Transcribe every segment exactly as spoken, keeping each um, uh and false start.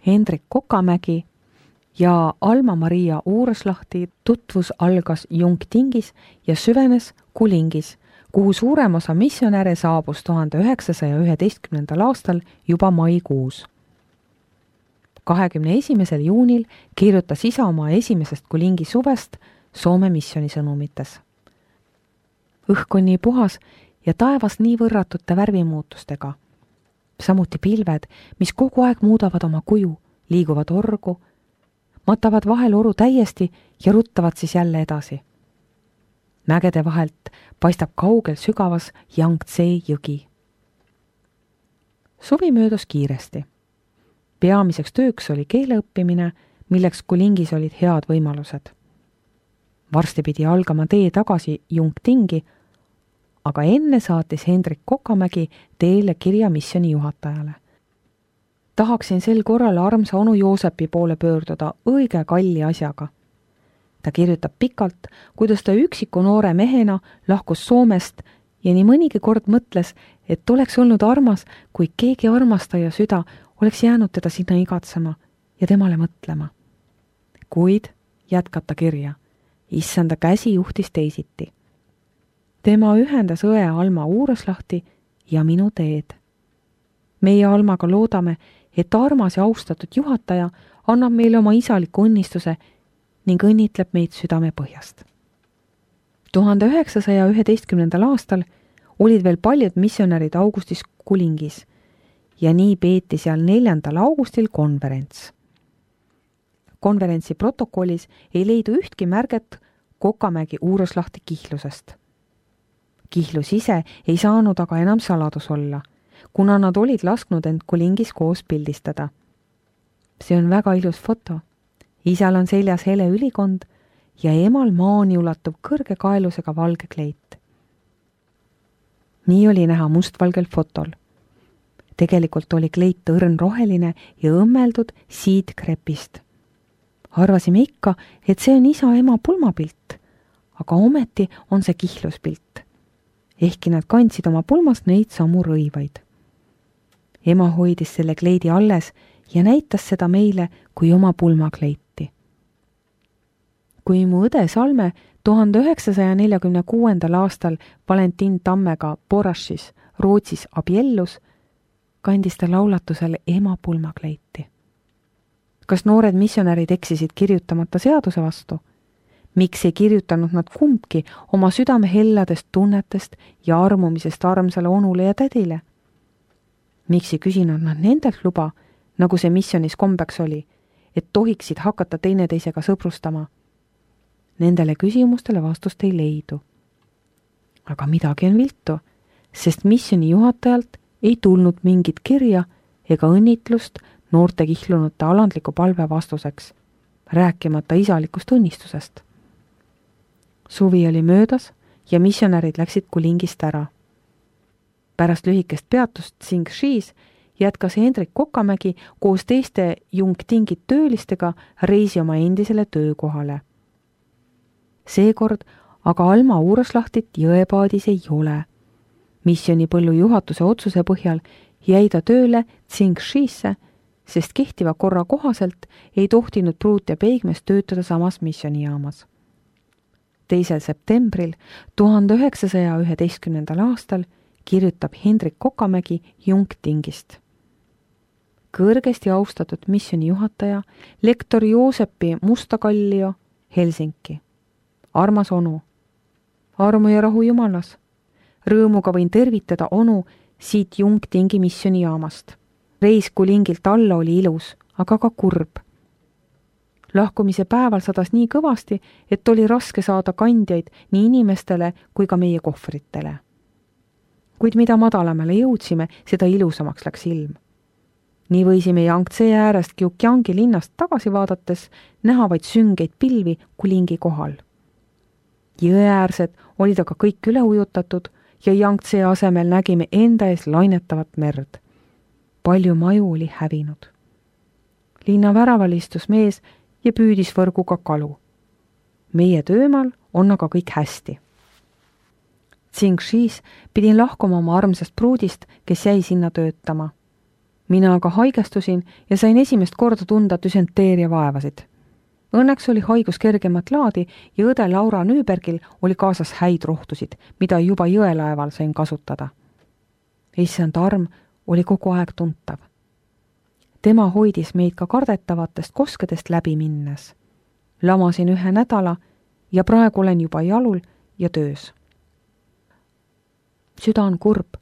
Hendrik Kokamägi ja Alma-Maria Uureslahti tutvus algas Jungtingis ja süvenes Kulingis, kuhu suurem osa missionäre saabus tuhande üheksasaja üheteistkümnendal aastal juba maikuus. kahekümne esimesel juunil kirjutas isa oma esimesest Kulingi suvest Soome missioonisõnumites. Õhk on nii puhas ja taevas nii võrratute värvimuutustega. Samuti pilved, mis kogu aeg muudavad oma kuju, liiguvad orgu, matavad vahel oru täiesti ja ruttavad siis jälle edasi. Mägede vahelt paistab kaugel sügavas Yangtze jõgi. Suvi möödus kiiresti. Peamiseks tööks oli keeleõppimine, milleks Kulingis olid head võimalused. Varsti pidi algama tee tagasi Jungtingi, aga enne saatis Hendrik Kokamägi teele kirja missiooni juhatajale. Tahaksin sel korral armsa onu Joosepi poole pöörduda õige kalli asjaga. Ta kirjutab pikalt, kuidas ta üksiku noore mehena lahkus Soomest ja nii mõnigi kord mõtles, et oleks olnud armas, kui keegi armastaja süda oleks jäänud teda sinna igatsema ja temale mõtlema. Kuid, jätkab ta kirja, issanda käsi juhtis teisiti. Tema ühendas õe Alma Uureslahti ja minu teed. Meie Almaga loodame, et armas ja austatud juhataja annab meile oma isaliku õnnistuse ning õnnitleb meid südame põhjast. tuhande üheksasaja üheteistkümnendal aastal olid veel paljud missionärid augustis Kulingis ja nii peeti seal neljandal augustil konverents. Konverentsi protokollis ei leidu ühtki märget Kokamägi Uureslahti kihlusest. Kihlus ise ei saanud aga enam saladus olla, kuna nad olid lasknud end Kulingis koos pildistada. See on väga ilus foto. Isal on seljas hele ülikond ja emal maani ulatuv kõrge kaelusega valge kleit. Nii oli näha mustvalgel fotol. Tegelikult oli kleit õrn roheline ja õmmeldud siidkrepist. Arvasime ikka, et see on isa-ema pulmapilt, aga ometi on see kihluspilt. Ehkki nad kandsid oma pulmast neid samu rõivaid. Ema hoidis selle kleidi alles ja näitas seda meile kui oma pulmakleiti. Kui mu õde Salme tuhande üheksasaja neljakümne kuuendal aastal Valentin Tammega Borašis, Rootsis abiellus, kandis ta laulatusel ema pulmakleiti. Kas noored missionärid eksisid kirjutamata seaduse vastu? Miks ei kirjutanud nad kumbki oma südame helladest tunnetest ja armumisest armsale onule ja tädile? Miks ei küsinud nad nendelt luba, nagu see missioonis kombeks oli, et tohiksid hakata teineteisega sõbrustama? Nendele küsimustele vastust ei leidu. Aga midagi on viltu, sest missiooni juhatajalt ei tulnud mingit kirja ega õnnitlust noorte kihlunute alandliku palve vastuseks, rääkimata isalikust õnnistusest. Suvi oli möödas ja missionärid läksid Kulingist ära. Pärast lühikest peatust Tsingšis jätkas Hendrik Kokamägi koos teiste Jungtingi töölistega reisi oma endisele töökohale. Seekord aga Alma Uureslahtit jõepaadis ei ole. Missiooni põllu juhatuse otsuse põhjal jäi ta tööle Tsingšisse, sest kehtiva korra kohaselt ei tohtinud pruut ja peigmees töötada samas missioonijaamas. teisel septembril tuhande üheksasaja üheteistkümnendal aastal kirjutab Hendrik Kokamägi Jungtingist. Kõrgesti austatud missiooni juhataja, lektor Joosepi Mustakallio, Helsinki. Armas onu, armu ja rahu Jumalas. Rõõmuga võin tervitada onu siit Jungtingi missioonijaamast. Reis Kulingilt alla oli ilus, aga ka kurb. Lahkumise päeval sadas nii kõvasti, et oli raske saada kandjaid nii inimestele kui ka meie kohvritele. Kuid mida madalamale jõudsime, seda ilusamaks läks ilm. Nii võisime Yangtze äärest Gyeonggi linnast tagasi vaadates näha vaid süngeid pilvi Kulingi kohal. Jõeäärsed olid aga kõik üle ujutatud ja Yangtze asemel nägime enda ees lainetavat merd. Palju maju oli hävinud. Linna väraval istus mees ja püüdis võrguga kalu. Meie töömaal on aga kõik hästi. Tsingšis pidin lahkuma oma armsast pruudist, kes jäi sinna töötama. mina aga haigestusin ja sain esimest korda tunda düsenteeria vaevasid. Õnneks oli haigus kergemat laadi ja õde Laura Nüübergil oli kaasas häid rohtusid, mida juba jõelaeval sain kasutada. Issand arm oli kogu aeg tuntav. Tema hoidis meid ka kardetavatest koskedest läbi minnes. Lamasin ühe nädala ja praegu olen juba jalul ja töös. Süda on kurb,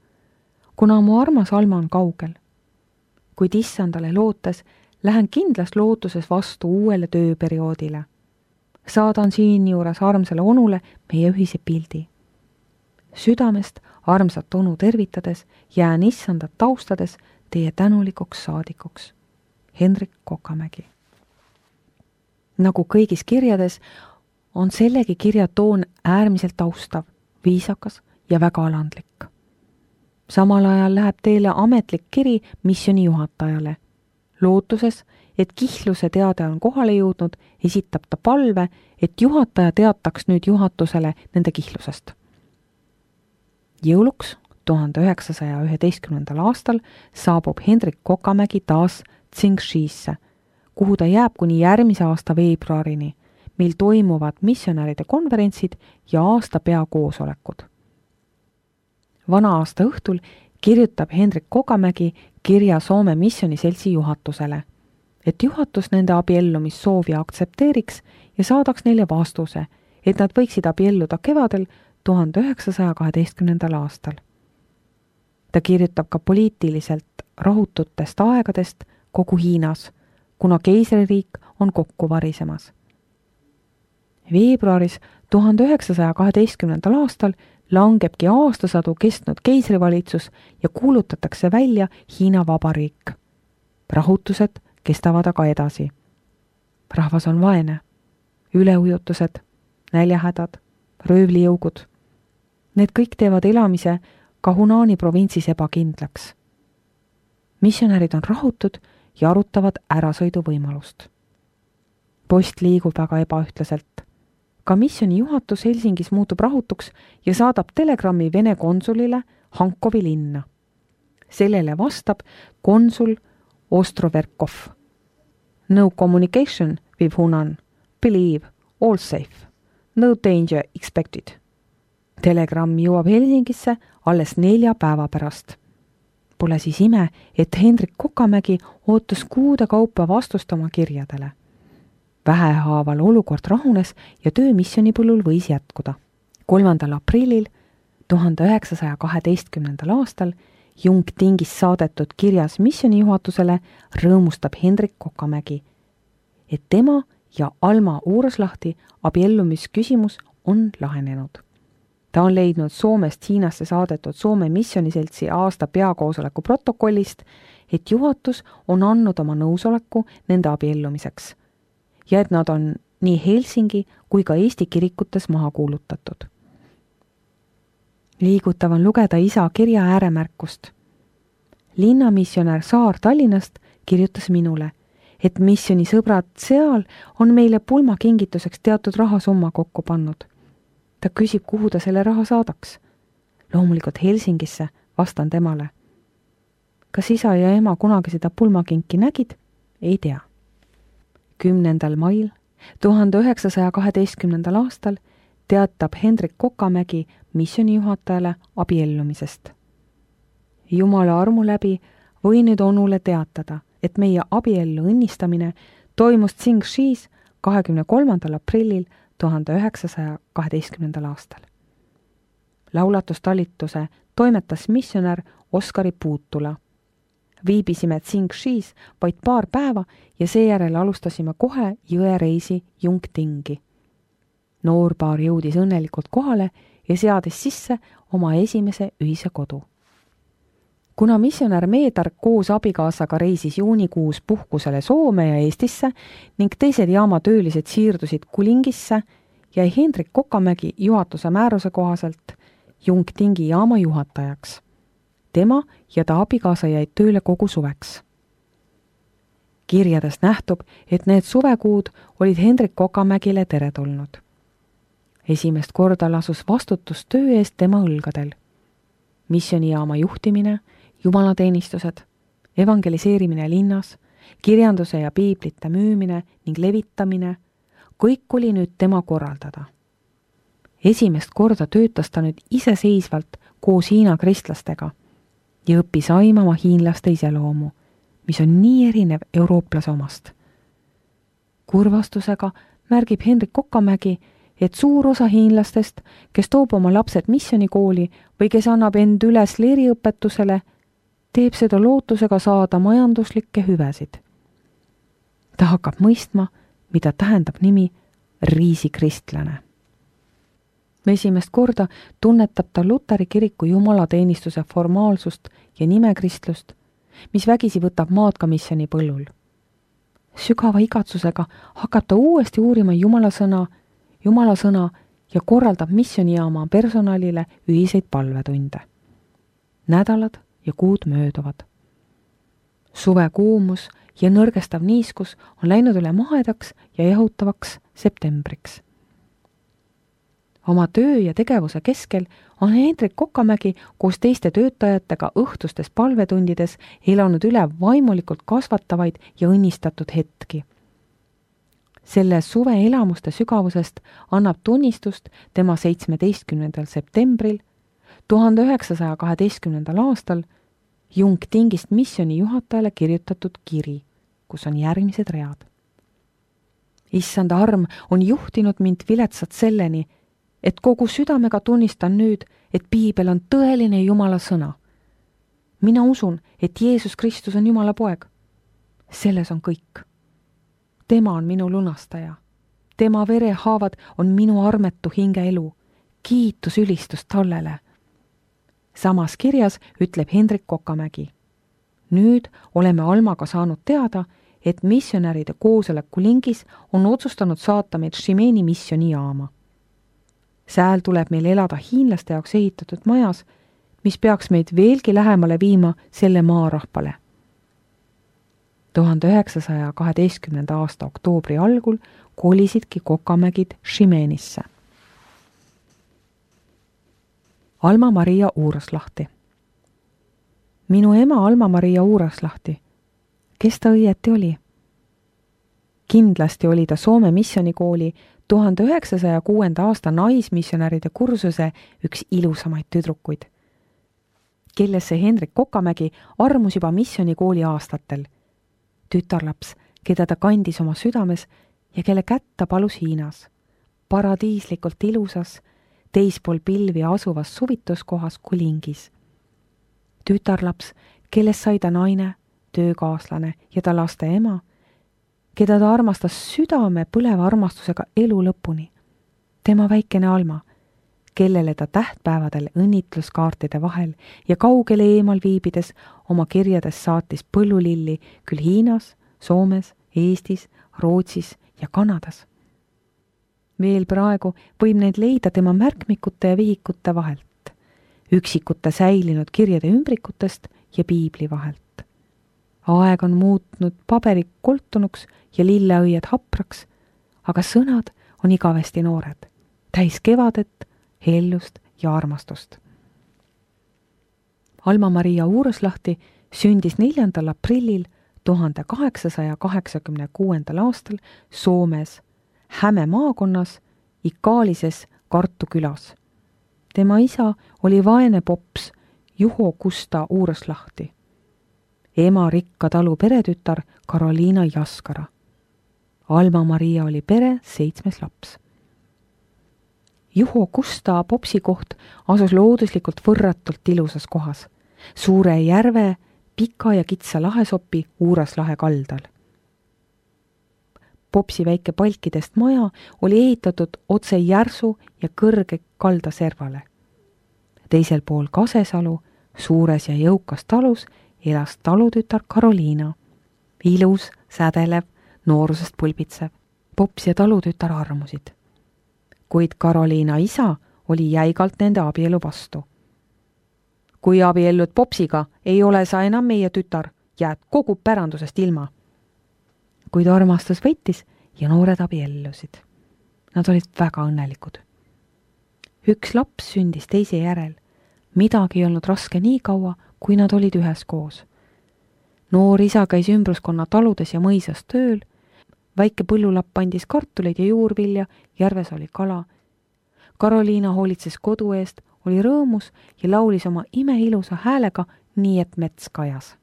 kuna mu armas Alma on kaugel. Kuid issandale lootes lähen kindlas lootuses vastu uuele tööperioodile. Saadan siinjuures armsale onule meie ühise pildi. Südamest armsat onu tervitades jään issandat taustades teie tänulikuks saadikuks. Hendrik Kokamägi. Nagu kõigis kirjades on sellegi kirja toon äärmiselt austav, viisakas ja väga alandlik. Samal ajal läheb teile ametlik kiri missiooni juhatajale. Lootuses, et Kihluse teade on kohale jõudnud, esitab ta palve, et juhataja teataks nüüd juhatusele nende Kihlusest. Jõuluks tuhande üheksasaja üheteistkümnendal aastal saabub Hendrik Kokamägi taas Tsingshisse, kuhu ta jääb kuni järgmise aasta veebruarini, mil toimuvad missionäride konverentsid ja aasta peakoosolekud. Vana aasta õhtul kirjutab Hendrik Kokamägi kirja Soome missioniseltsi juhatusele, et juhatus nende abiellumissoovi aktsepteeriks ja saadaks neile vastuse, et nad võiksid abielluda kevadel tuhande üheksasaja kaheteistkümnendal aastal. Ta kirjutab ka poliitiliselt rahututest aegadest kogu Hiinas, kuna keisririik on kokku varisemas. Veebruaris tuhande üheksasaja kaheteistkümnendal aastal langebki aastasadu kestnud keisrivalitsus ja kuulutatakse välja Hiina Vabariik. Rahutused kestavad aga edasi. Rahvas on vaene. Üleujutused, näljahädad, röövlijõugud. Need kõik teevad elamise ka Hunaani provintsis ebakindlaks. Missionärid on rahutud ja arutavad ärasõidu võimalust. Post liigub väga ebaühtlaselt. Ka missiooni juhatus Helsingis muutub rahutuks ja saadab telegrammi Vene konsulile Hankovi linna. Sellele vastab konsul Ostroverkov. No communication with Hunan. Believe, all safe. No danger expected. Telegramm jõuab Helsingisse alles nelja päeva pärast. Pole siis ime, et Hendrik Kokamägi ootas kuude kaupa vastust oma kirjadele. Vähehaaval olukord rahunes ja töö missionipõllul võis jätkuda. kolmandal aprillil tuhande üheksasaja kaheteistkümnendal aastal Jung Tingis saadetud kirjas missiooni juhatusele rõõmustab Hendrik Kokamägi, et tema ja Alma Uuruslahti abiellumisküsimus on lahenenud. Ta on leidnud Soomest Hiinasse saadetud Soome missioniseltsi aasta peakoosoleku protokollist, et juhatus on andnud oma nõusoleku nende abiellumiseks ja et nad on nii Helsingi kui ka Eesti kirikutes maha kuulutatud. Liigutav on lugeda isa kirja ääremärkust. Linnamissionär Saar Tallinnast kirjutas minule, et missiooni sõbrad seal on meile pulmakingituseks teatud rahasumma kokku pannud. Ta küsib, kuhu ta selle raha saadaks. Loomulikult Helsingisse, vastan temale. Kas isa ja ema kunagi seda pulmakinki nägid? Ei tea. kümnendal mail tuhande üheksasaja kaheteistkümnendal aastal teatab Hendrik Kokamägi missiooni juhatajale abiellumisest. Jumala armu läbi võin nüüd onule teatada, et meie abiellu õnnistamine toimus Tsingshis kahekümne kolmandal aprillil tuhande üheksasaja kaheteistkümnendal aastal. Laulatustalituse toimetas missionär Oskari Puutula. Viibisime Tsingshis vaid paar päeva ja seejärel alustasime kohe jõereisi Jungtingi. Noorpaar jõudis õnnelikult kohale ja seadis sisse oma esimese ühise kodu. Kuna missionär Meedark koos abikaasaga reisis juunikuus puhkusele Soome ja Eestisse ning teised jaama töölised siirdusid Kulingisse, jäi Hendrik Kokamägi juhatuse määruse kohaselt Jungtingi jaama juhatajaks. Tema ja ta abikaasa jäid tööle kogu suveks. Kirjadest nähtub, et need suvekuud olid Hendrik Kokamägile teretulnud. Esimest korda lasus vastutus töö eest tema õlgadel. Missioonijaama juhtimine, jumalateenistused, evangeliseerimine linnas, kirjanduse ja piiblite müümine ning levitamine, kõik oli nüüd tema korraldada. Esimest korda töötas ta nüüd iseseisvalt koos Hiina kristlastega ja õppis aimama hiinlaste iseloomu, mis on nii erinev eurooplase omast. Kurvastusega märgib Hendrik Kokamägi, et suur osa hiinlastest, kes toob oma lapsed missionikooli või kes annab end üles leeriõpetusele, teeb seda lootusega saada majanduslikke hüvesid. Ta hakkab mõistma, mida tähendab nimi riisikristlane. Esimest korda tunnetab ta Luteri kiriku jumalateenistuse formaalsust ja nimekristlust, mis vägisi võtab maad ka missiooni põllul. Sügava igatsusega hakkab ta uuesti uurima Jumala sõna, Jumala sõna ja korraldab missioonijaama personalile ühiseid palvetunde. Nädalad ja kuud mööduvad. Suve kuumus ja nõrgestav niiskus on läinud üle mahedaks ja jahutavaks septembriks. Oma töö ja tegevuse keskel on Hendrik Kokamägi koos teiste töötajatega õhtustes palvetundides elanud üle vaimulikult kasvatavaid ja õnnistatud hetki. Selle suve elamuste sügavusest annab tunnistust tema seitsmeteistkümnendal septembril tuhande üheksasaja kaheteistkümnendal aastal Jung Tingist missiooni juhatajale kirjutatud kiri, kus on järgmised read. Issanda arm on juhtinud mind viletsat selleni, et kogu südamega tunnistan nüüd, et piibel on tõeline Jumala sõna. Mina usun, et Jeesus Kristus on Jumala poeg. Selles on kõik. Tema on minu lunastaja. Tema verehaavad on minu armetu hinge elu. Kiitus ülistus tallele. Samas kirjas ütleb Hendrik Kokamägi. Nüüd oleme Almaga saanud teada, et missionäride koosoleku lingis on otsustanud saata meid Šimeni missioonijaama. Sääl tuleb meil elada hiinlaste jaoks ehitatud majas, mis peaks meid veelgi lähemale viima selle maarahvale. tuhande üheksasaja kaheteistkümnenda aasta oktoobri algul kolisidki Kokamägid Šimenisse. Alma-Maria Uuraslahti. Minu ema Alma-Maria Uuraslahti. Kes ta õieti oli? Kindlasti oli ta Soome missionikooli tuhande üheksasaja kuuenda aasta naismissionäride kursuse üks ilusamaid tüdrukuid, kellesse Hendrik Kokamägi armus juba missionikooli aastatel. Tütarlaps, keda ta kandis oma südames ja kelle kätt ta palus Hiinas, paradiislikult ilusas, teispool pilvi asuvas suvituskohas Kulingis. Tütarlaps, kellest sai ta naine, töökaaslane ja ta laste ema, keda ta armastas südame põleva armastusega elu lõpuni. Tema väikene Alma, kellele ta tähtpäevadel õnnitluskaartide vahel ja kaugele eemal viibides oma kirjades saatis põllulilli küll Hiinas, Soomes, Eestis, Rootsis ja Kanadas. Veel praegu võib neid leida tema märkmikute ja vihikute vahelt, üksikute säilinud kirjade ümbrikutest ja piibli vahelt. Aeg on muutnud paberi koltunuks ja lilleõied hapraks, aga sõnad on igavesti noored, täis kevadet, hellust ja armastust. Alma-Maria Uuraslahti sündis neljandal aprillil tuhande kaheksasaja kaheksakümne kuuendal aastal Soomes, Häme maakonnas, Ikaalises Kartu külas. Tema isa oli vaene pops Juho Kusta Uuraslahti. Ema rikka talu peretütar Karoliina Jaskara. Alma-Maria oli pere seitsmes laps. Juho Kusta popsi koht asus looduslikult võrratult ilusas kohas, suure järve, pika ja kitsa lahesopi Uuraslahe kaldal. Popsi väike palkidest maja oli ehitatud otse järsu ja kõrge kaldaservale. Teisel pool Kasesalu, suures ja jõukas talus, elas talutütar Karoliina. Ilus, sädelev, noorusest pulbitsev. Pops ja talutütar armusid. Kuid Karoliina isa oli jäigalt nende abielu vastu. Kui abiellud popsiga, ei ole sa enam meie tütar, jääd kogu pärandusest ilma. Kuid armastus võitis ja noored abiellusid. Nad olid väga õnnelikud. Üks laps sündis teise järel. Midagi ei olnud raske nii kaua, kui nad olid ühes koos. noor isa käis ümbruskonna taludes ja mõisas tööl, väike põllulapp andis kartuleid ja juurvilja, järves oli kala. Karoliina hoolitses kodu eest, oli rõõmus ja laulis oma imeilusa häälega, nii et mets kajas.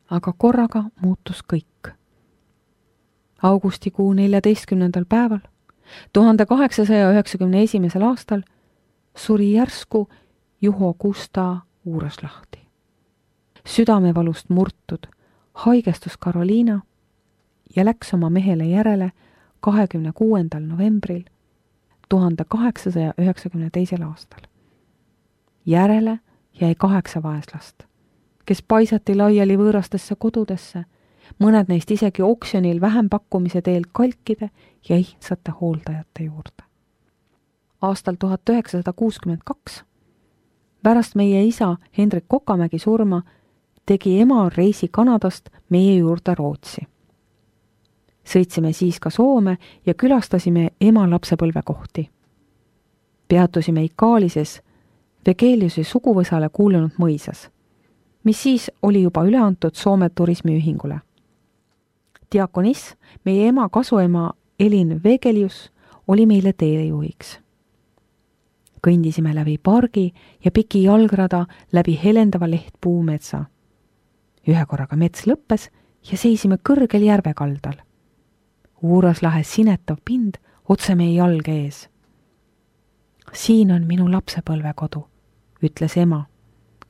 Aga korraga muutus kõik. Augustikuu neljateistkümnendal päeval, tuhande kaheksasaja üheksakümne esimesel aastal, suri järsku Juho Kusta Uuraslahti. Südamevalust murtud, haigestus Karoliina ja läks oma mehele järele kahekümne kuuendal novembril tuhande kaheksasaja üheksakümne teisel aastal. Järele jäi kaheksa vaeslast, kes paisati laiali võõrastesse kodudesse, mõned neist isegi oksjonil vähempakkumise teel kalkide ja ihtsate hooldajate juurde. Aastal tuhat üheksasada kuuskümmend kaks, pärast meie isa Hendrik Kokamägi surma, tegi ema reisi Kanadast meie juurde Rootsi. Sõitsime siis ka Soome ja külastasime ema lapsepõlvekohti. Peatusime Ikaalises Vegeliuse suguvõsale kuulunud mõisas, mis siis oli juba üle antud Soome turismiühingule. Diakonis, meie ema kasuema Elin Vegelius, oli meile teelejuhiks. Kõndisime läbi pargi ja piki jalgrada läbi helendava lehtpuu metsa. Ühe korraga mets lõppes ja seisime kõrgel järvekaldal. Uuraslahe sinetav pind otse meie jalge ees. Siin on minu lapsepõlvekodu, ütles ema,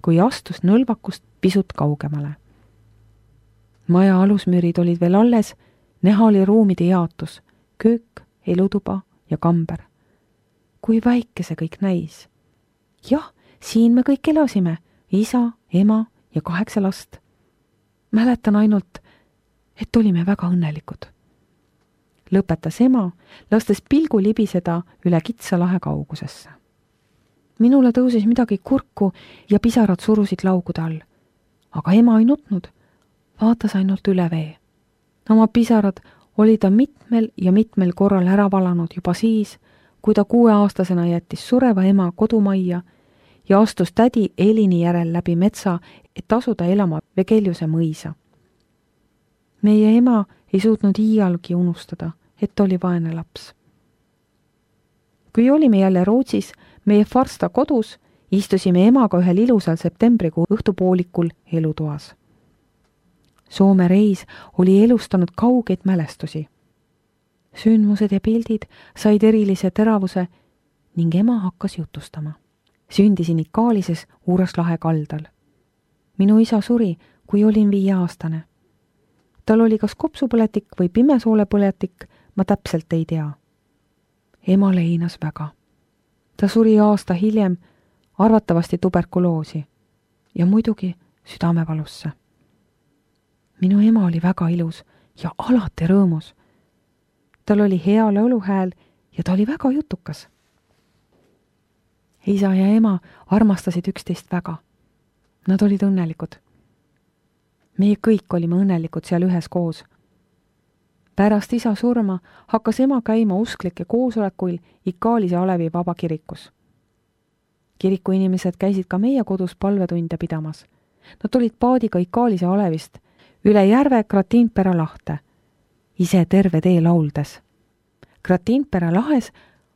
kui astus nõlvakust pisut kaugemale. Maja alusmüürid olid veel alles, näha oli ruumide jaotus, köök, elutuba ja kamber. Kui väike see kõik näis. Jah, siin me kõik elasime, isa, ema ja kaheksa last. Mäletan ainult, et olime väga õnnelikud. Lõpetas ema, lastes pilgu libiseda üle kitsa lahe kaugusesse. Minule tõusis midagi kurku ja pisarad surusid laugude all. Aga ema ei nutnud, vaatas ainult üle vee. Oma pisarad oli ta mitmel ja mitmel korral ära valanud juba siis, kui ta kuueaastasena jättis sureva ema kodumajja ja astus tädi Elini järel läbi metsa, et asuda elama Vegeliuse mõisa. Meie ema ei suutnud iialgi unustada, et oli vaene laps. Kui olime jälle Rootsis, meie Farsta kodus, istusime emaga ühel ilusal septembrikuu õhtupoolikul elutoas. Soome reis oli elustanud kaugeid mälestusi. Sündmused ja pildid said erilise teravuse ning ema hakkas jutustama. Sündisin Ikaalises Uuraslahe kaldal. Minu isa suri, kui olin viieaastane. Tal oli kas kopsupõletik või pimesoolepõletik, ma täpselt ei tea. Ema leinas väga. Ta suri aasta hiljem, arvatavasti tuberkuloosi ja muidugi südamevalusse. Minu ema oli väga ilus ja alati rõõmus. Tal oli hea lauluhääl ja ta oli väga jutukas. Isa ja ema armastasid üksteist väga. Nad olid õnnelikud. Meie kõik olime õnnelikud seal ühes koos. Pärast isa surma hakkas ema käima usklike koosolekuil Ikaalise Alevi vaba kirikus. Kiriku inimesed käisid ka meie kodus palvetunde pidamas. Nad tulid paadiga Ikaalise Alevist üle järve Kratiinpera lahte, ise terve tee lauldes. Kratiinpera lahes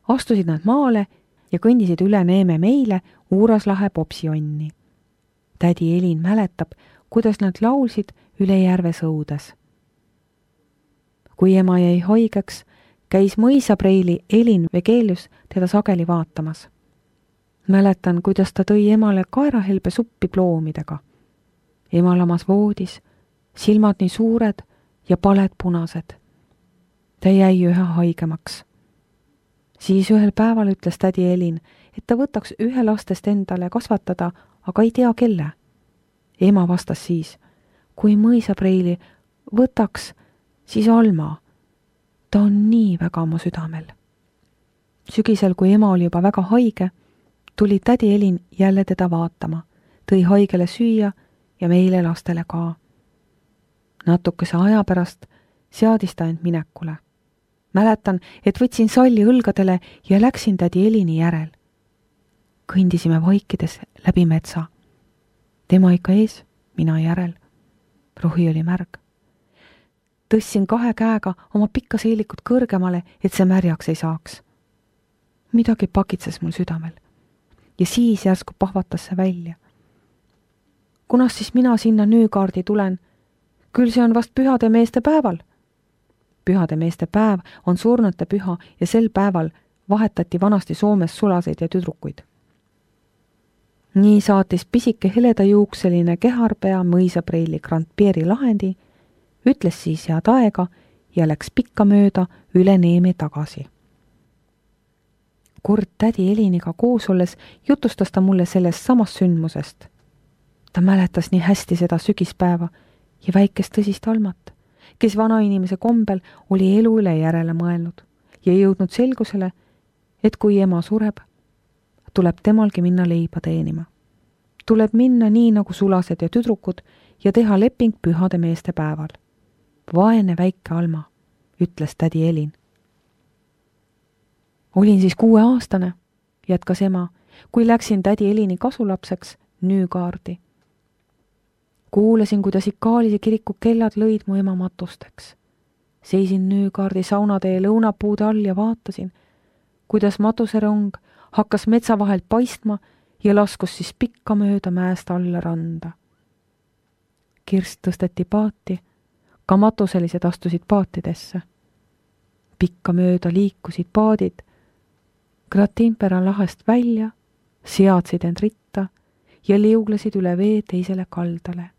astusid nad maale ja kõndisid üle Neeme meile Uuraslahe popsionni. Tädi Elin mäletab, kuidas nad laulsid üle järve sõudes. Kui ema jäi haigeks, käis mõisapreili Elin Vegelius teda sageli vaatamas. Mäletan, kuidas ta tõi emale kaerahelbe suppi ploomidega. Ema lamas voodis, silmad nii suured ja paled punased. Ta jäi ühe haigemaks. Siis ühel päeval ütles tädi Elin, et ta võtaks ühe lastest endale kasvatada, aga ei tea kelle. Ema vastas siis, kui mõisapreili võtaks, siis Alma. Ta on nii väga mu südamel. Sügisel, kui ema oli juba väga haige, tuli tädi Elin jälle teda vaatama, tõi haigele süüa ja meile lastele ka. Natukese aja pärast seadis ta end minekule. Mäletan, et võtsin salli õlgadele ja läksin tädi Elini järel. Kõndisime vaikides läbi metsa. Tema ikka ees, mina järel. rohi oli märg. Tõssin kahe käega oma pikka seelikut kõrgemale, et see märjaks ei saaks. Midagi pakitses mul südamel ja siis järsku pahvatas see välja. Kunas siis mina sinna Nüügaardi tulen? Küll see on vast pühade meeste päeval. Pühade meeste päev on surnute püha ja sel päeval vahetati vanasti Soomes sulaseid ja tüdrukuid. Nii saatis pisike heledajuukseline keharpea mõisapreili Grand Pieri lahendi, ütles siis head aega ja läks pikka mööda üle Neeme tagasi. Kord tädi Eliniga koos olles jutustas ta mulle sellest samast sündmusest. Ta mäletas nii hästi seda sügispäeva ja väikest tõsist Almat, kes vanainimese kombel oli elu üle järele mõelnud ja jõudnud selgusele, et kui ema sureb, tuleb temalgi minna leiba teenima. Tuleb minna nii nagu sulased ja tüdrukud ja teha leping pühade meeste päeval. Vaene väike Alma, ütles tädi Elin. Olin siis kuueaastane, jätkas ema, kui läksin tädi Elini kasulapseks Nüügaardi. Kuulasin, kuidas Ikaalise kiriku kellad lõid mu ema matusteks. Seisin Nüügaardi saunatee lõunapuude all ja vaatasin, kuidas matuserong hakkas metsa vahelt paistma ja laskus siis pikka mööda mäest alla randa. Kirst tõsteti paati, ka matuselised astusid paatidesse. Pikka mööda liikusid paadid, Gratimpera lahest välja, seadsid end ritta ja liuglesid üle vee teisele kaldale.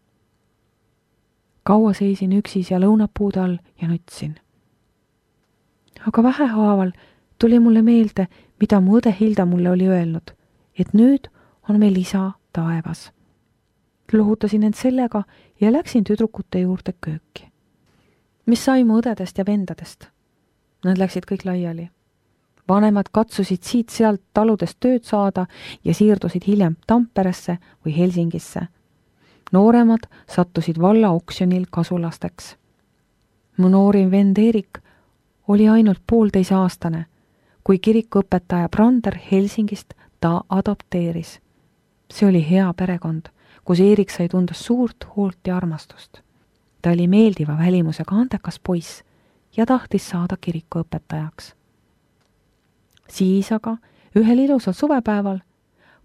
Kaua seisin üksis ja lõunapuude all ja nutsin. Aga vähehaaval tuli mulle meelde, mida mu õde Hilda mulle oli öelnud, et nüüd on meil isa taevas. Lohutasin end sellega ja läksin tüdrukute juurde kööki. Mis sai mu õdedest ja vendadest? Nad läksid kõik laiali. Vanemad katsusid siit-sealt taludest tööd saada ja siirdusid hiljem Tamperesse või Helsingisse. Nooremad sattusid valla oksjonil kasulasteks. Mu noorim vend Erik oli ainult poolteise aastane, kui kirikuõpetaja Brander Helsingist ta adopteeris. See oli hea perekond, kus Erik sai tunda suurt hoolt ja armastust. Ta oli meeldiva välimusega andekas poiss ja tahtis saada kirikuõpetajaks. Siis aga ühel ilusal suvepäeval,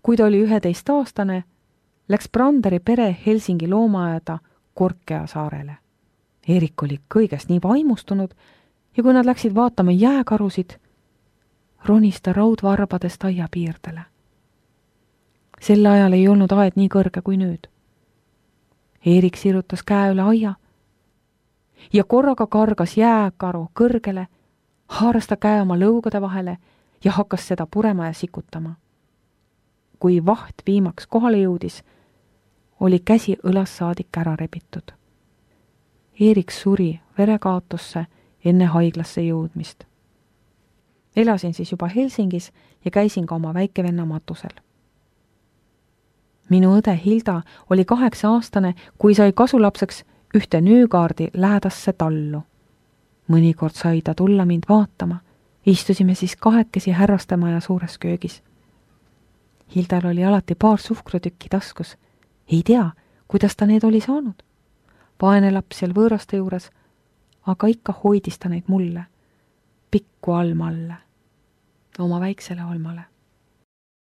kui ta oli üheteistaastane, läks Branderi pere Helsingi loomaaeda Korkea saarele. Erik oli kõigest nii vaimustunud ja kui nad läksid vaatama jääkarusid, ronis ta raudvarbadest aia piirdele. Sel ajal ei olnud aed nii kõrge kui nüüd. Erik sirutas käe üle aia ja korraga kargas jääkaru kõrgele, haaras ta käe oma lõugade vahele ja hakkas seda purema ja sikutama. Kui vaht viimaks kohale jõudis, oli käsi õlas saadik ära rebitud. Erik suri verekaotusse enne haiglasse jõudmist. Elasin siis juba Helsingis ja käisin ka oma väikevenna matusel. Minu õde Hilda oli kaheksa aastane, kui sai kasulapseks ühte Nüügaardi lähedasse tallu. Mõnikord sai ta tulla mind vaatama. Istusime siis kahekesi härrastemaja suures köögis. Hildal oli alati paar suhkrutükki taskus. Ei tea, kuidas ta need oli saanud. Vaene laps seal võõraste juures, aga ikka hoidis ta neid mulle, pikku Alma alle, oma väiksele Almale.